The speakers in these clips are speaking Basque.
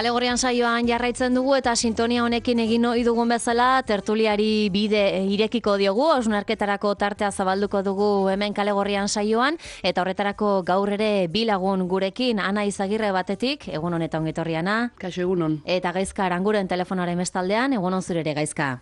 Alegorian saioan jarraitzen dugu eta sintonia honekin egin ohi dugun bezala tertuliari bide irekiko diogu, hausnarketarako tartea zabalduko dugu hemen Kalegorrian saioan eta horretarako gaur ere bi lagun gurekin, Ana Izagirre batetik, egun honetan ongi etorri Ana. Kaixo egunon. Eta Gaizka Aranguren telefonaren bestaldean, egunon zure ere Gaizka.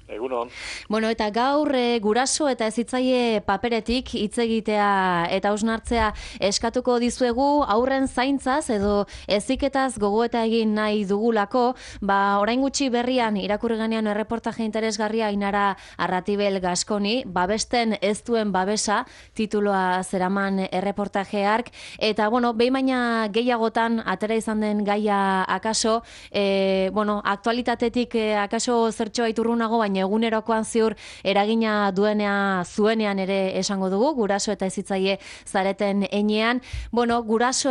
Egunon. Bueno, eta gaur guraso eta hezitzaile paperetik hitz egitea eta hausnartzea eskatuko dizuegu aurren zaintzaz edo heziketaz gogoeta egin nahi dugulako, orain gutxi berrian irakurri genean erreportaje interesgarria Ainara Arratibel Gaskoni, babesten ez duen babesa tituloa zeraman erreportaje hark, eta behin baina gehiagotan atera izan den gaia akaso, aktualitatetik akaso zertxoa iturrunago, baina egunerokoan ziur eragina zuenean ere esango dugu, guraso eta hezitzaile zareten enean. Guraso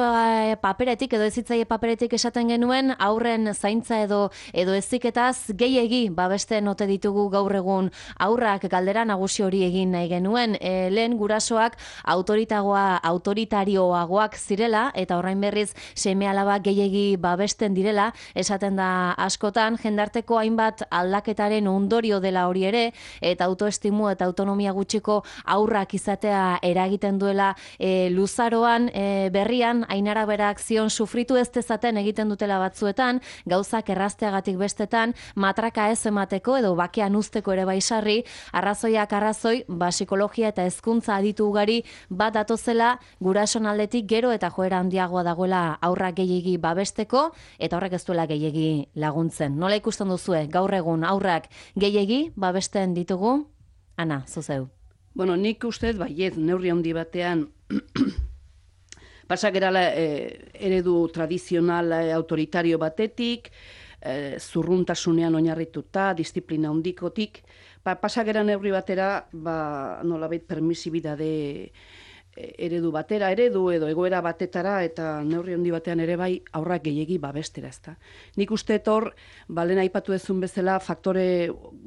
paperetik edo hezitzaile paperetik esaten genuen, aurren zaintza edo heziketaz gehiegi babesten ote ditugu gaur egun aurrak, galdera nagusi hori egin nahi genuen. Lehen gurasoak autoritarioagoak zirela eta orain berriz seme-alaba gehiegi babesten direla, esaten da askotan, jendarteko hainbat aldaketaren ondorio dela hori ere, eta autoestimu eta autonomia gutxiko aurrak izatea eragiten duela luzaroan. Berrian, Ainara berak zion sufritu ez dezaten egiten dutela batzuetan, gauzak errazteagatik bestetan, matraka ez emateko edo bakean usteko ere baisarri, arrazoiak arrazoi, psikologia eta hezkuntza aditu ugari bat datozela gurason aldetik gero eta joera handiagoa dagoela aurrak gehiegi babesteko, eta horrek ez duela gehiegi laguntzen. Nola ikusten duzue, gaur egun aurrak gehiegi babesten ditugu? Ana, zuzeu. Nik ustez, baiet, neurri handi batean pasagerala eredu tradizional autoritario batetik, zurruntasunean oinarrituta, disiplina handikotik, pasagera neurri batera, nolabait permisibidade eredu batera, edo egoera batetara, eta neurri handi batean ere bai aurrak gehiegi babestera, ezta. Nik uste hor, lehen aipatu ezun bezala,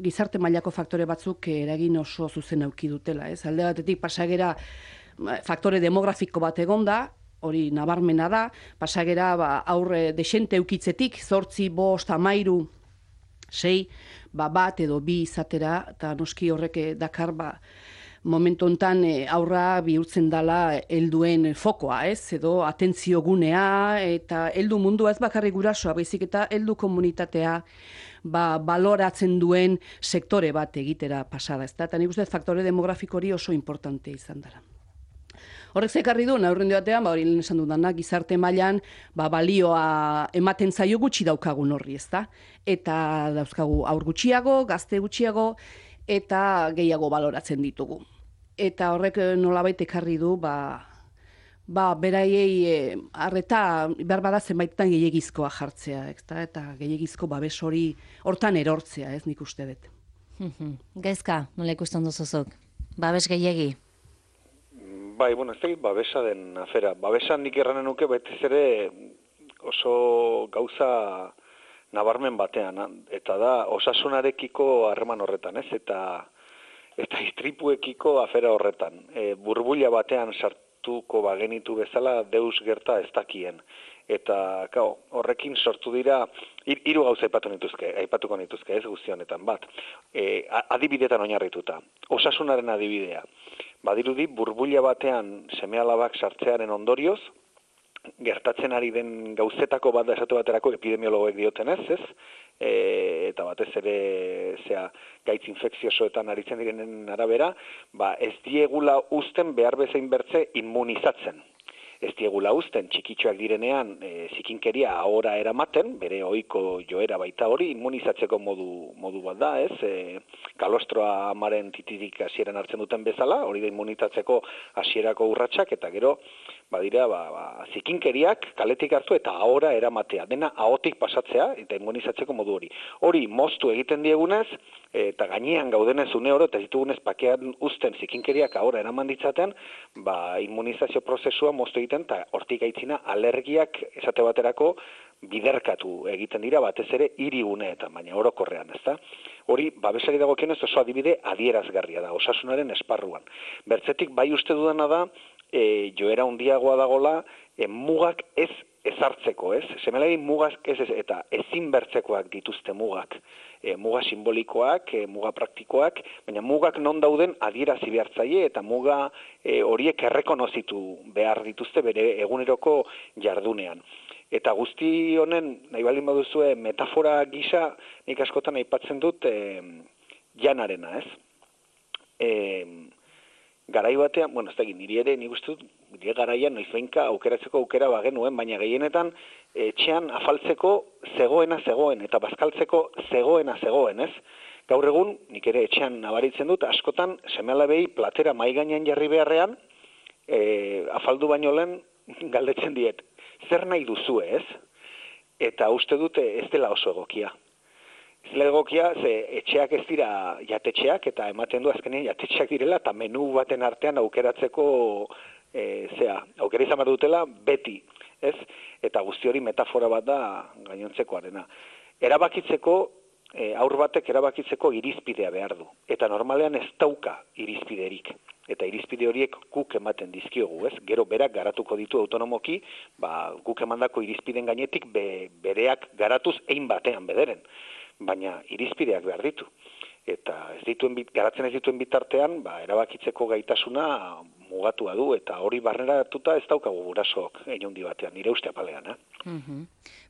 gizarte mailako faktore batzuk eragin oso zuzen auki dutela, ez? Alde batetik pasagera faktore demografiko bat egonda, hori nabarmena da, pasagera aurre desente eukitzetik, 8, 5, 13, 6, bat edo bi izatera, eta noski horrek dakar momentu hontan aurra bihurtzen dela helduen fokoa, ez? Edo atentzio gunea, eta heldu mundua ez bakarrik gurasoa, baizik eta heldu komunitatea baloratzen duen sektore bat egitera pasada, ez da? Eta nik uste faktore demografiko hori oso importante izan dela. Horrek zekarri du, aurrendu batean, hori lehen esan dudanak, gizarte mailan balioa ematen zaio gutxi daukagun horri, ez da? Eta dauzkagu aur gutxiago, gazte gutxiago, eta gehiago baloratzen ditugu. Eta horrek nolabait ekarri du, beraiei arreta behar bada zenbaitetan gehiegizkoa jartzea, eta gehiegizko babes hori hortan erortzea, ez nik uste dut. Gaizka, nola ikusten duzuzuk? Babes gehiegi? Bai, ez da babesa den afera. Babesan nik erranen nuke betez ere oso gauza nabarmen batean, eta da osasunarekiko harreman horretan, ez? Eta istripuekiko afera horretan. Burbuila batean sartuko bagenitu bezala deus gerta ez dakien. Eta horrekin sortu dira, hiru gauza aipatuko nituzke, ez guzti honetan bat. Adibidetan oinarrituta. Osasunaren adibidea. Badirudi burbuila batean seme-alabak sartzearen ondorioz, gertatzen ari den gauzetako bat da esate baterako epidemiologoek diotenez, ez? Eta batez ere gaitz infekziosoetan aritzen direnen arabera, ez diegula uzten behar bezain bertze immunizatzen. Ez diegula uzten txikitxoak direnean zikinkeria ahora eramaten, bere ohiko joera baita hori, immunizatzeko modu bat da, ez? Kalostroa amaren titirik hasieran hartzen duten bezala, hori da immunizatzeko hasierako urratsak, eta gero, badira, zikinkeriak kaletik hartu eta ahora eramatea, dena ahotik pasatzea eta immunizatzeko modu hori. Hori moztu egiten diegunez, eta gainean gaudenez une oro, eta ditugunez pakean uzten zikinkeriak ahora eraman ditzaten, immunizazio prozesua moztu egiten, eta hortik aitzina alergiak esate baterako biderkatu egiten dira, batez ere hiriguneetan, baina orokorrean, ezta? Hori, babesari dagokionez oso adibide adierazgarria da, osasunaren esparruan. Bertzetik, bai uste dudana da, joera handiagoa dagola, mugak ez ezartzeko, ez? Seme-alabi mugak ez, eta ezin bertzekoak dituzte mugak. Muga simbolikoak, muga praktikoak, baina mugak non dauden adierazi behartzaile eta muga horiek errekonozitu behar dituzte bere eguneroko jardunean. Eta guzti honen, nahi baldin baduzue, metafora gisa, nik askotan aipatzen dut janarena, ez? Garai batean, bueno, ez da, niri ere, nik uste dut, nire garaian, noizbeinka aukeratzeko aukera bagenuen, baina gehienetan, etxean afaltzeko zegoen, eta bazkaltzeko zegoen, ez? Gaur egun, nik ere etxean nabaritzen dut, askotan, seme-alabei platera mai gainean jarri beharrean, afaldu baino lehen galdetzen diet, zer nahi duzu, ez? Eta uste dute ez dela oso egokia. Ez dela egokia, ze etxeak ez dira jatetxeak, eta ematen du azkenean jatetxeak direla, eta menu baten artean aukeratzeko, aukera izan behar dutela beti, ez? Eta guzti hori metafora bat da gainontzekoarena. Erabakitzeko, aur batek erabakitzeko irizpidea behar du. Eta normalean ez dauka irizpiderik. Eta irizpide horiek guk ematen dizkiogu, ez? Gero berak garatuko ditu autonomoki, guk emandako irizpiden gainetik bereak garatuz ein batean bederen. Baina irizpideak behar ditu. Eta garatzen ez dituen bitartean, erabakitzeko gaitasuna mugatua du, eta hori barneratuta ez daukagu gurasoak inundi batean, nire uste apalean.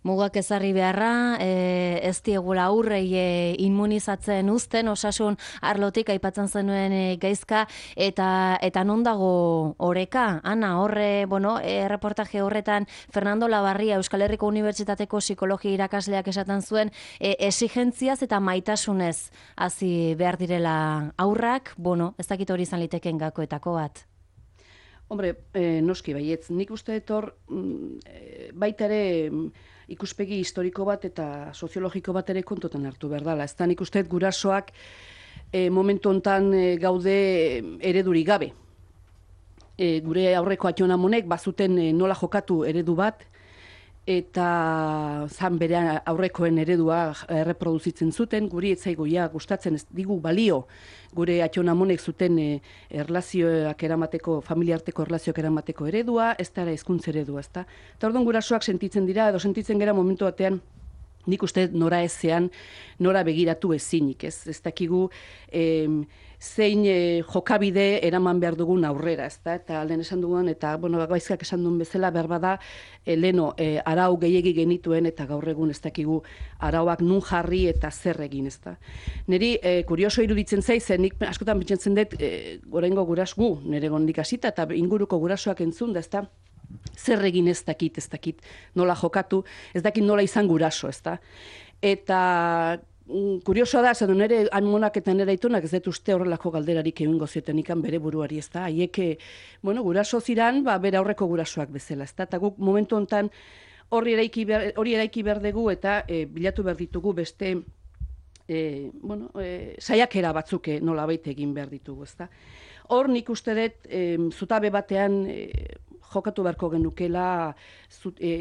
Mugak ezarri beharra, ez diegula aurrei immunizatzen uzten, osasun arlotik aipatzen zenuen gaizka, eta non dago oreka? Ana, horre, reportaje horretan, Fernando Labarria, Euskal Herriko Unibertsitateko psikologia irakasleak esaten zuen, exigentziaz eta maitasunez hasi behar direla aurrak, ez dakit hori izan liteken gakoetako bat. Hombre, noski baietz, nik uste etor baita ere ikuspegi historiko bat eta soziologiko bat ere kontutan hartu behar dela. Ez da nik uste gurasoak momentu hontan gaude eredurik gabe. Gure aurreko atxonamonek bazuten nola jokatu eredu bat, eta zan bere aurrekoen eredua erreproduzitzen zuten, guri etzaigoia gustatzen ez digu balio gure atxonamonek zuten erlazioak eramateko, familiarteko erlazioak eramateko eredua, ez da hizkuntza eredua, ez da. Eta orduan gurasoak sentitzen dira, edo sentitzen gara momentu batean, nik uste nora ezean, nora begiratu ezinik, ez dakigu zein jokabide eraman behar dugun aurrera, ez da, eta lehen esan dugun, eta, gaizkak esan duen bezala, behar bada, leno, arau gehiegi genituen, eta gaur egun ez dakigu arauak nun jarri eta zer egin, ez da. Neri, kurioso iruditzen zaiz, nik askotan pentsatzen dut, gorengo gurasgu, nire gondik hasita, eta inguruko gurasoak entzun, da, ez da, zer egin ez dakit nola jokatu, ez dakit nola izan guraso, ez da. Eta kuriosoa da, zen nire amonak eta nire aitonak ez dut uste horrelako galderarik egingo zioten ikan bere buruari, ez da. Haiek, guraso ziran, bere aurreko gurasoak bezala, ez da. Eta guk momentu honetan hori eraiki behar dugu eta bilatu behar ditugu beste saiakera batzuk nolabait egin behar ditugu, ez da. Hor nik uste dut zutabe batean jokatu beharko genukela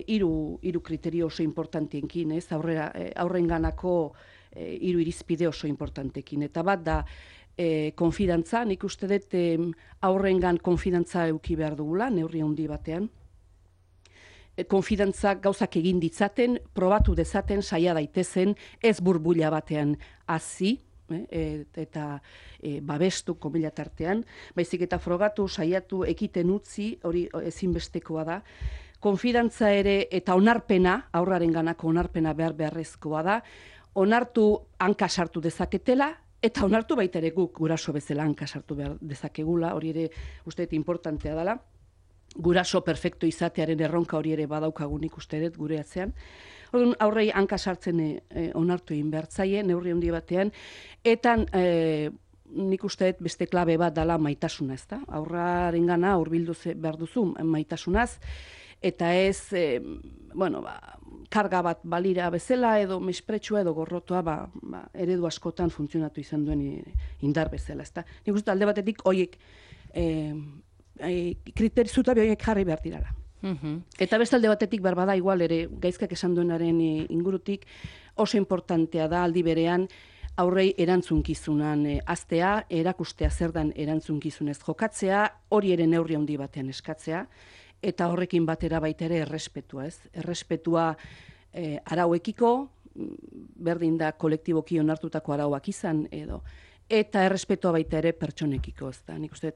hiru kriterio oso importantiekin, ez, aurrenganako hiru irizpide oso importantekin. Eta bat da konfidantza, nik uste dut aurrengan konfidantza eduki behar dugula, neurri handi batean. Konfidantza gauzak egin ditzaten, probatu dezaten, saia daitezen, ez burbuila batean hazi, eta babestu komila tartean, baizik eta frogatu, saiatu, ekiten utzi, hori ezinbestekoa da. Konfidantza ere eta onarpena, aurraren ganako onarpena beharrezkoa da, onartu hanka sartu dezaketela, eta onartu baita ere guk guraso bezala hanka sartu behar dezakegula, hori ere uste dut importantea dela. Guraso perfekto izatearen erronka hori ere badaukagunik uste dut gure atzean. Aurrei hanka sartzen onartu egin behartzaie, neurri handi batean, eta nik uste dut beste klabe bat dela maitasuna, ez da? Aurraren gana hurbildu behar duzu maitasunaz, eta ez, karga bat balira bezala, edo mespretsua, edo gorrotua, eredu askotan funtzionatu izan duen indar bezala, ez da? Nik uste alde batetik horiek zutabe horiek jarri behar dirala. Eta bestalde batetik bada igual ere gaizkak esan duenaren ingurutik oso importantea da aldi berean aurrei erantzunkizunan aztea, erakustea zer dan erantzunkizunez jokatzea, hori ere neurri handi batean eskatzea, eta horrekin batera baita ere errespetua, ez? Errespetua arauekiko, berdin da kolektiboki onartutako arauak izan edo, eta errespetua baita ere pertsonekiko, ez da? Nik uste,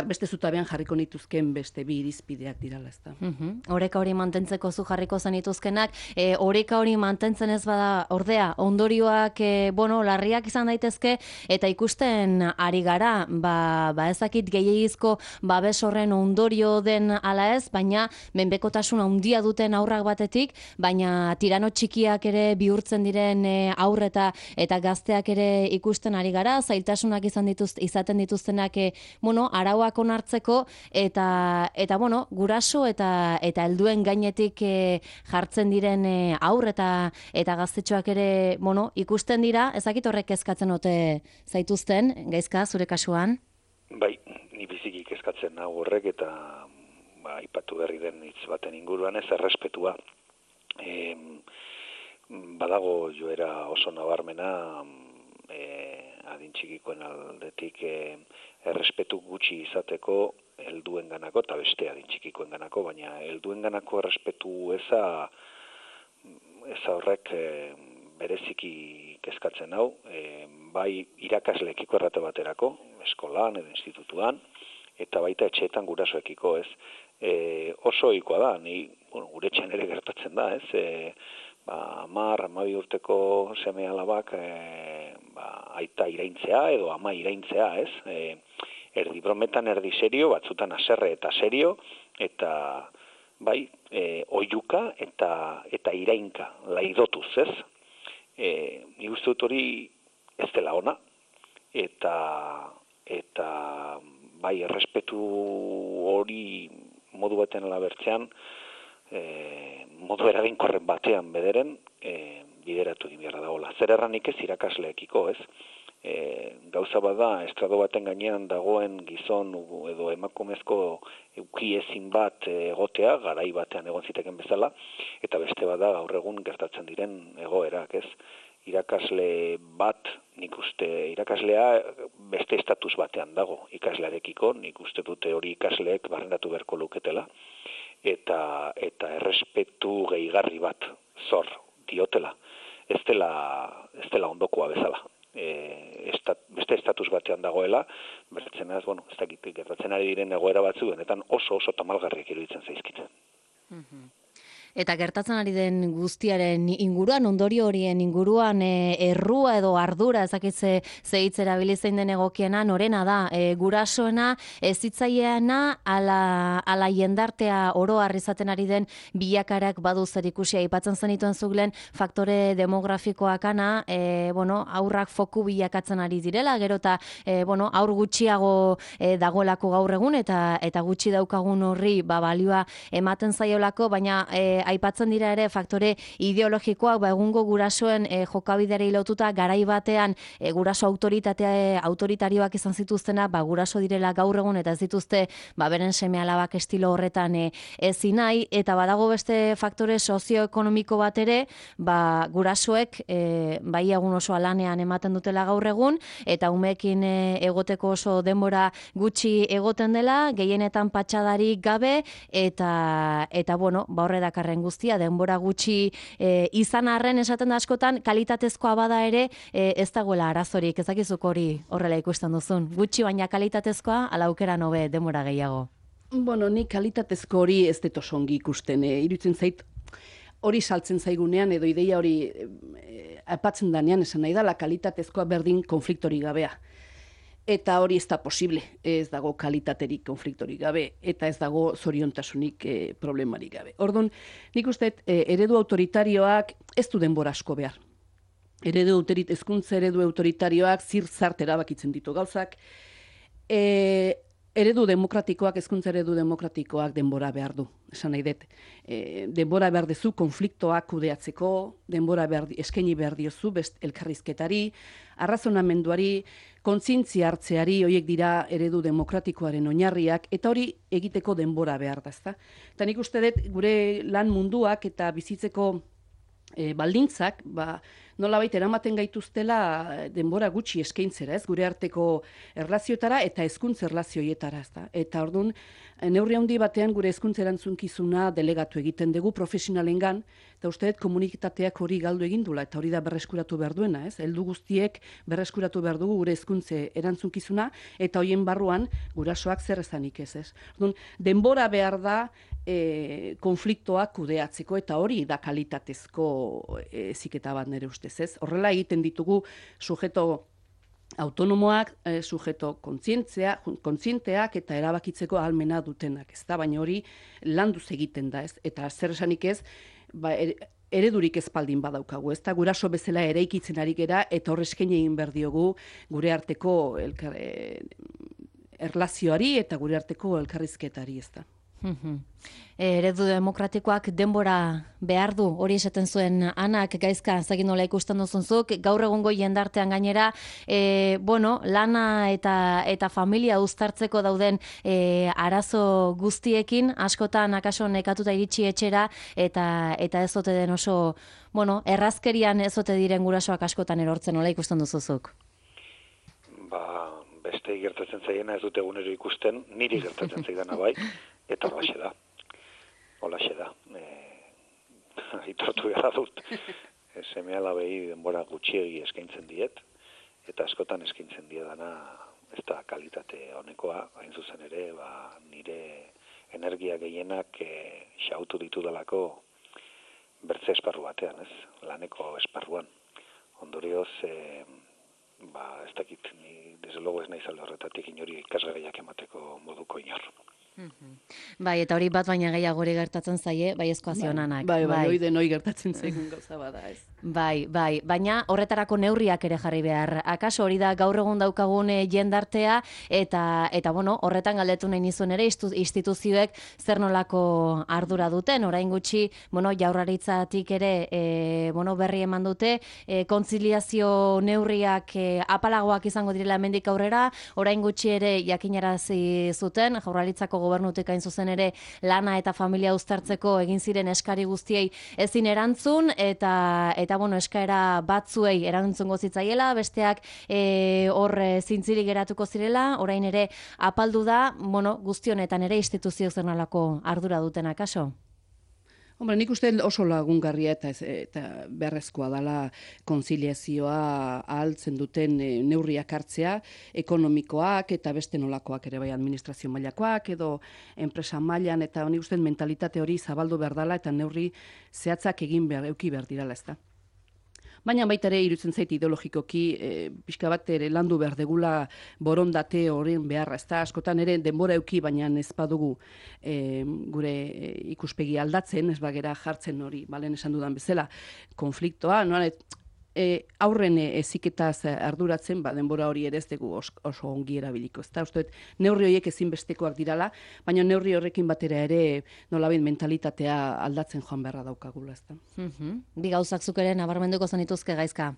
beste zutabean jarriko nituzken beste bi irizpideak dirala, ez da. Oreka hori mantentzeko zu jarriko zenituzkenak, oreka hori mantentzen ez bada ordea, ondorioak, larriak izan daitezke, eta ikusten ari gara, ezakit gehiagizko babes horren ondorio den ala ez, baina menpekotasun handia duten haurrak batetik, baina tirano txikiak ere bihurtzen diren haurreta eta gazteak ere ikusten ari gara, zailtasunak izaten dituztenak, arauak onartzeko eta guraso eta helduen gainetik jartzen diren haur eta gaztetxoak ere ikusten dira, ezakit horrek kezkatzen ote zaituzten, Gaizka, zure kasuan? Bai, ni biziki kezkatzen hau horrek eta aipatu berri den hitz baten inguruan ez errespetua. Badago joera oso nabarmena adin txikikoen aldetik errespetu gutxi izateko helduenganako eta beste adin txikikoenganako, baina helduenganako errespetu eza horrek bereziki kezkatzen hau, bai irakasleekiko errate baterako, eskolan edo institutuan, eta baita etxeetan gurasoekiko, ez. Oso ohikoa da, gure etxean ere gertatzen da, ez. 10-12 urteko seme alabak aita iraintzea edo ama iraintzea, ez? Erdi brometan, erdi serio, batzutan haserre eta serio, eta bai, oihuka eta irainka, laidotuz, ez? Nik uste dut hori ez dela ona, eta bai, errespetu hori modu baten alabertzean, modu eraginkorren batean bederen bideratu egin beharra dagoela. Zer erranik ez irakasleekiko, ez? Gauza bada, estrado baten gainean dagoen gizon edo emakumezko eukiezin bat egotea, garai batean egon ziteken bezala, eta beste bada gaur egun gertatzen diren egoerak, ez? Irakasle bat, nik uste, irakaslea beste estatus batean dago ikaslearekiko, nik uste dute hori ikasleek barrendatu beharko luketela, eta errespetu gehigarri bat zor diotela. Ez dela ondokoa bezala. Beste estatus batean dagoela, bertzen ez dakit, gertatzen ari diren egoera batzu, benetan oso tamalgarriak iruditzen zaizkitzen. Eta gertatzen ari den guztiaren inguruan, ondorio horien inguruan, errua edo ardura, ezakitze zehitz erabilizein den egokiena, norena da, gurasoena, ezitzaileana, ala jendartea oroar izaten ari den bilakarak badu zer ikusia, aipatzen zenituen zuglen faktore demografikoakana, aurrak foku bilakatzen ari direla, gero eta aur gutxiago dagoelako gaur egun, eta gutxi daukagun horri balioa ematen zaiolako, baina aipatzen dira ere faktore ideologikoak, egungo gurasoen jokabideari lotuta garai batean guraso autoritarioak izan zituztena, guraso direla gaur egun eta ez dituzte beren seme-alabak estilo horretan ezin nahi, eta badago beste faktore sozioekonomiko bat ere, gurasoek bai egun oso alanean ematen dutela gaur egun, eta umeekin egoteko oso denbora gutxi egoten dela, gehienetan patxadarik gabe, eta horre dakarren guztia, denbora gutxi izan arren esaten da askotan, kalitatezkoa bada ere ez dagoela arazorik, ezakizuk hori horrela ikusten duzun. Gutxi baina kalitatezkoa, ala aukera nobe denbora gehiago. Ni kalitatezko hori ez dut oso ongi ikusten. Iruditzen zait, hori saltzen zaigunean, edo ideia hori aipatzen danean esan nahi da, la kalitatezkoa berdin konfliktori gabea. Eta hori ez da posible, ez dago kalitaterik konfliktorik gabe, eta ez dago zoriontasunik problemarik gabe. Orduan, nik uste eredu autoritarioak ez du denbora asko behar. Hezkuntza eredu autoritarioak zirzart erabakitzen ditu gauzak, eredu demokratikoak, hezkuntza eredu demokratikoak denbora behar du, esan nahi dut. Denbora behar dezu konfliktoak kudeatzeko, denbora eskaini behar diozu elkarrizketari, arrazonamenduari, kontzientzia hartzeari, horiek dira eredu demokratikoaren oinarriak, eta hori egiteko denbora behar da, ezta? Eta nik uste dut gure lan munduak eta bizitzeko baldintzak, nolabait eramaten gaituztela denbora gutxi eskaintzera, ez, gure arteko erlazioetara eta hezkuntza erlazioietara, ezta. Eta orduan, neurri handi batean gure hezkuntza erantzunkizuna delegatu egiten dugu profesionalengan, eta uste dut komunitateak hori galdu egin dula, eta hori da berreskuratu behar duena, ez? Heldu guztiek berreskuratu behar dugu gure hezkuntza erantzunkizuna, eta hoien barruan gurasoak zer ezanik ez. Orduan, denbora behar da konfliktoak kudeatzeko, eta hori da kalitatezko heziketa bat nire ustez, ez? Horrela egiten ditugu sujeto autonomoak, sujeto kontzienteak eta erabakitzeko ahalmena dutenak, ez da? Baina hori landuz egiten da, ez? Eta zer esanik ez, eredurik ezpaldin badaukagu, ez da? Guraso bezala eraikitzen ari gera, eta hor eskaini egin behar diogu gure arteko erlazioari eta gure arteko elkarrizketari, ez da? Eredu demokratikoak denbora behar du, hori esaten zuen Anak, Gaizka, zagin nola ikusten duzunzuk, gaur egungo jendartean gainera, lana eta familia uztartzeko dauden arazo guztiekin, askotan akaso nekatuta iritsi etxera, eta ez ote den oso, errazkerian ez ote diren gurasoak askotan erortzen, nola ikusten duzuzuk? Beste gertatzen zaiena ez dute egunero ikusten, niri gertatzen zaidana bai, eta holaxe da. Aitortu gara dut. Seme alabei denbora gutxiegi eskaintzen diet, eta askotan eskaintzen diedana ez da kalitate honekoa, hain zuzen ere, nire energia gehienak xautu ditudalako bertze esparru batean, ez? Laneko esparruan. Ondorioz, ez dakit, ni desde logo ez naiz alde horretatik inori ikasgaiak emateko moduko inor. Bai, eta hori bat baina gehiagori gertatzen zaie, bai ezkoazio Anak. Bai, hori denoi gertatzen zaigun gauza bada, ez. Bai, baina horretarako neurriak ere jarri behar. Akaso hori da gaur egun daukagun jendartea, eta horretan galdetu nahi nizuen ere instituzioek zer nolako ardura duten. Orain gutxi, Jaurlaritzatik ere berri eman dute, kontziliazio neurriak apalagoak izango direla hemendik aurrera, orain gutxi ere jakinarazi zuten, Jaurlaritzako gobernutik hain zuzen ere lana eta familia uztartzeko egin ziren eskari guztiei ezin erantzun, eta eskaera batzuei erantzungo zitzaiela, besteak hor zintzilik geratuko zirela, orain ere apaldu da, guztionetan ere instituzio zer nolako ardura duten akaso? Hombre, nik uste oso lagungarria eta beharrezkoa dela konziliazioa ahaltzen duten neurriak hartzea, ekonomikoak eta beste nolakoak ere bai administrazio mailakoak edo enpresa mailan, eta nik uste mentalitate hori zabaldu behar dela eta neurri zehatzak euki behar dirala, ez da. Baina baita ere iruditzen zait ideologikoki pixka bat ere landu behar degula borondate horren beharra, ez da, askotan ere denbora euki, baina ez badugu gure ikuspegi aldatzen, ez bagera jartzen hori, balen esan dudan bezala, konfliktoa, aurren heziketaz arduratzen, denbora hori ere ez dugu oso ongi erabiliko. Ezta, uste dut, neurri horiek ezinbestekoak dirala, baina neurri horrekin batera ere nolabait mentalitatea aldatzen joan beharra daukagula, ezta. Bi gauzak zuk ere nabarmenduko zenituzke, Gaizka?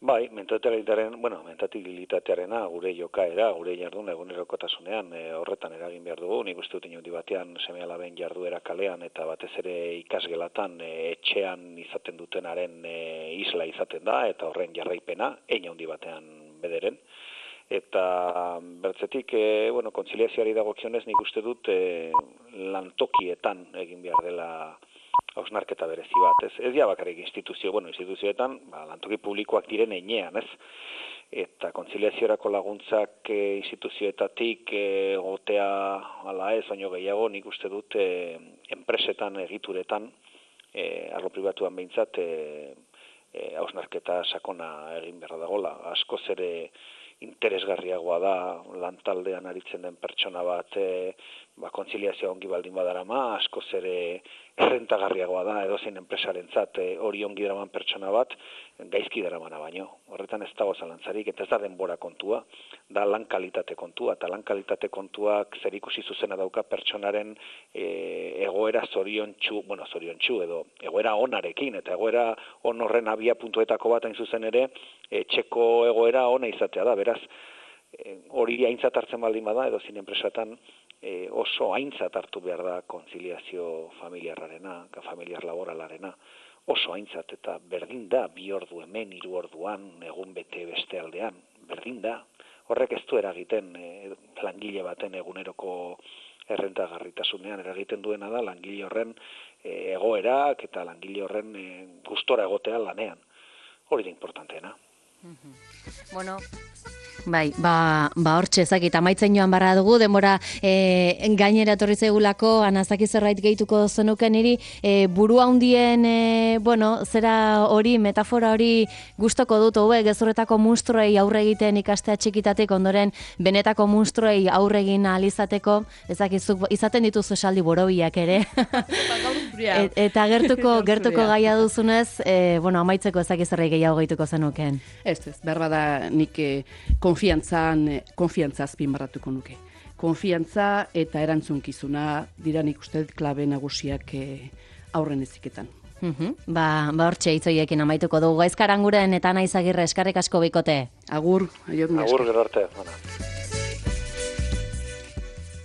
Bai, mentabilitatearena, gure jokaera, gure jardun egunerokotasunean horretan eragin behar dugu. Nik uste dut inundi batean seme-alaben jarduera kalean eta batez ere ikasgelatan etxean izaten dutenaren isla izaten da, eta horren jarraipena, handi batean bederen. Eta bertzetik, kontziliazioari dagokionez nik uste dut lantokietan egin behar dela hausnarketa berezi bat, ez? Ez ja bakarrik instituzioetan, lantoki publikoak diren heinean, ez? Eta kontziliaziorako laguntzak instituzioetatik gotea ala ez, baino gehiago nik uste dut enpresetan, egituretan, arlo pribatuan behintzat, hausnarketa sakona egin behar dagoela. Askoz ere interesgarriagoa da lantaldean aritzen den pertsona bat kontziliazioa ongi baldin badarama, askoz ere errentagarriagoa da edozein enpresarentzat hori ongi daraman pertsona bat gaizki daramana baino. Horretan ez dago zalantzarik, eta ez da denbora kontua, da lan kalitate kontua, eta lan kalitate kontuak zerikusi zuzena dauka pertsonaren egoera zoriontsu edo egoera onarekin, eta egoera on horren abia puntuetako bat hain zuzen ere etxeko egoera ona izatea da, beraz hori aintzat hartzen baldin bada edozein enpresatan oso aintzat hartu behar da kontziliazio familiarrarena, familiar laboralarena, oso aintzat, eta berdin da, 2 ordu hemen, 3 orduan, egun bete beste aldean, berdin da. Horrek ez du eragiten langile baten eguneroko errentagarritasunean, eragiten duena da langile horren egoerak eta langile horren gustora egotea lanean. Hori da importanteena. Bueno, bai, hortxe ezakit, amaitzen joan barra dugu, denbora gainera etorri zegulako, anazaki zerbait gehituko zenuken niri, buru handien, zera hori, metafora hori gustoko dut, gezurretako munstruei aurre egiten ikastea txikitatik, ondoren benetako munstruei aurre egin ahal izateko, ezakizuk, izaten dituzu esaldi borobiak ere. Eta gertuko gaia duzunez, amaitzeko ezakiz zerbait gehiago gehituko zenuken. Ez, behar bada nik konfiantza azpimarratuko nuke. Konfiantza eta erantzunkizuna dira nik uste klabe nagusiak aurren eziketan. Hortxe hitzoiekin amaituko dugu. Gaizkaranguren eta Naiz Agirre, eskerrik asko bikote. Agur, gero arte.